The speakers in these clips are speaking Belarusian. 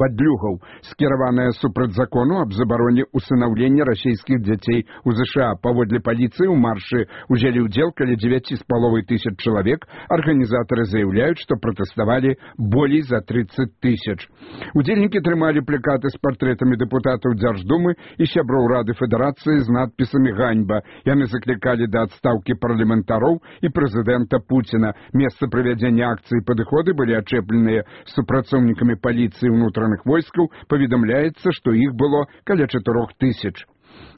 падлюгаў, скіраваная супраць закону аб забароне усынаўлення расійскіх дзяцей у ЗША. Паводле паліцыі ў маршы ўзялі ўдзел каля 9,5 тысяч чалавек. Арганізатары заяўляюць, што пратэставалі болей за 30 тысяч. Удзельнікі трымалі плакаты з партрэтамі дэпутатаў Дзярждумы і сяброў Рады Федэрацыі з надпісамі «Ганьба». Яны заклікалі да адстаўкі парламентароў і прэзідэнта Пуціна. Месца правядзення акцыі падыходы былі ачэпленыя супрацоўнікамі паліцыі ўнутраных войскаў. Паведамляецца, што іх было каля 4 тысяч.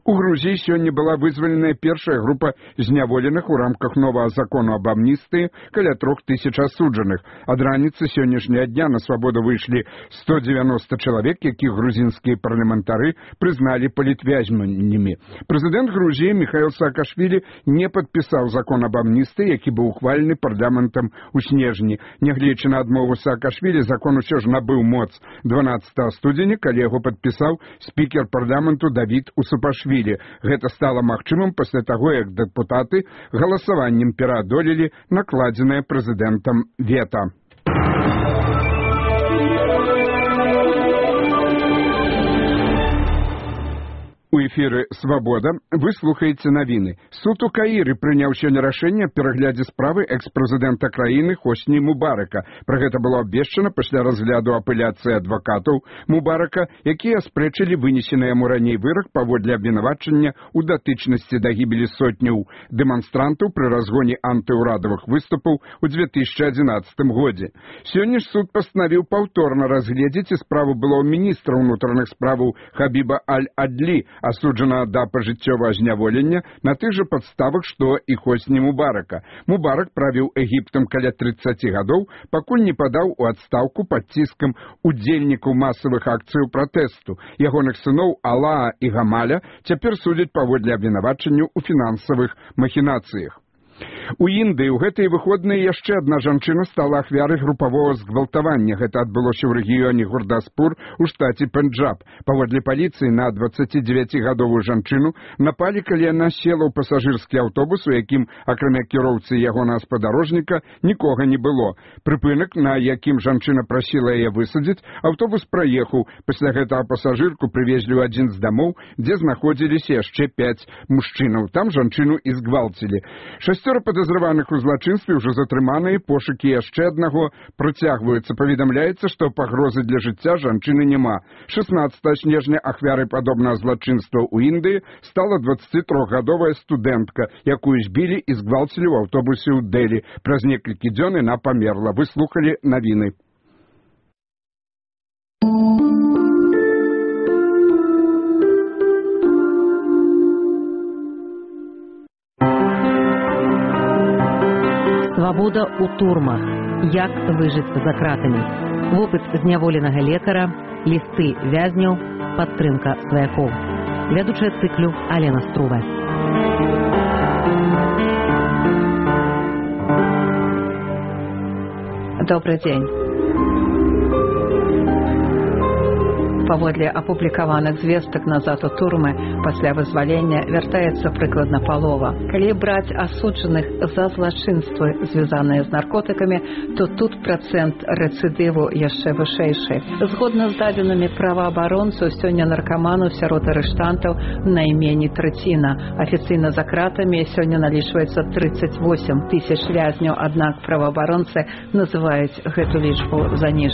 У Грузіі сёння была вызваленая першая група зняволеных у рамках новага закону аб амністыі, каля 3 тысяч асуджаных. Ад раніцы сённяшняга дня на свабоду выйшлі 190 чалавек, якіх грузінскія парламентары прызналі палітвязнямі. Прэзідэнт Грузіі Михаил Саакашвілі не падпісаў закон аб амністыі, які быў ухвалены парламентам у снежні. Нягледзячы на адмову Саакашвілі, закон усё ж набыў моц 12 студзеня, калі яго падпісаў спікер парламенту Давід Усупашвілі. Гэта стала магчымым пасля таго, як дэпутаты галасаваннем пераадолелі накладзенае прэзідэнтам вета. У эфіры «Свабода» вы слухаеце навіны. Суд у Каіры прыняў сёння рашэнне аб пераглядзе справы экс-прэзідэнта краіны Хосні Мубарака. Пра гэта было абвешчана пасля разгляду апеляцыі адвакатаў Мубарака, якія аспрэчылі вынесены яму раней вырак паводле абвінавачання ў датычнасці да гібелі сотняў дэманстрантаў пры разгоне антыўрадавых выступаў у 2011 годзе. Сёння ж суд пастанавіў паўторна разгледзець і справу былого міністра ўнутраных справаў Хабіба Аль-Адлі, асуджана да пажыццёвага зняволення на тых жа падставах, што і Хосні Мубарака. Мубарак правіў Егіптам каля 30 гадоў, пакуль не падаў у адстаўку пад ціскам удзельнікаў масавых акцыяў пратэсту. Ягоных сыноў Алаа і Гамаля цяпер судзяць паводле абвінавачанняў у фінансавых махінацыях. У Індыі ў гэтыя выходныя яшчэ адна жанчына стала ахвярай групавога згвалтавання. Гэта адбылося ў рэгіёне Гурдаспур у штаце Пенджаб. Паводле паліцыі на 29-гадовую жанчыну напалі, калі яна села ў пасажырскі аўтобус, у якім, акрамя кіроўцы і ягонага спадарожніка, нікога не было. Прыпынак, на якім жанчына прасіла яе высадзіць, аўтобус праехаў. Пасля гэтага пасажырку прывезлі ў адзін з дамоў, дзе знаходзіліся яшчэ 5 мужчынаў. Там жанчыну і згвалцілі. 6 падазраваных у злачынстве ўжо затрыманыя, пошукі яшчэ аднаго працягваюцца. Паведамляецца, што пагрозы для жыцця жанчыны няма. 16 снежня ахвярай падобнага злачынства ў Індыі стала 23-гадовая студэнтка, якую збілі і згвалцілі ў аўтобусе ў Дэлі. Праз некалькі дзён яна памерла. Вы слухалі навіны. Свабода ў турмах. Як выжыць за кратамі. Вопыт зняволенага лекара, лісты вязняў, падтрымка сваякоў. Вядучая цыклю Алена Струва. Добрый день. Паводле апублікаваных звестак назад у турмы пасля вызвалення вяртаецца прыкладна палова. Калі браць асуджаных за злачынствы, звязаныя з наркотыкамі, то тут працэнт рэцыдыву яшчэ вышэйшы. Згодна з дадзенымі праваабаронцаў, сёння наркаманаў сярод арыштантаў найменей траціна. Афіцыйна за кратамі сёння налічваецца 38 тысяч вязняў, аднак праваабаронцы называюць гэту лічбу заніжанай.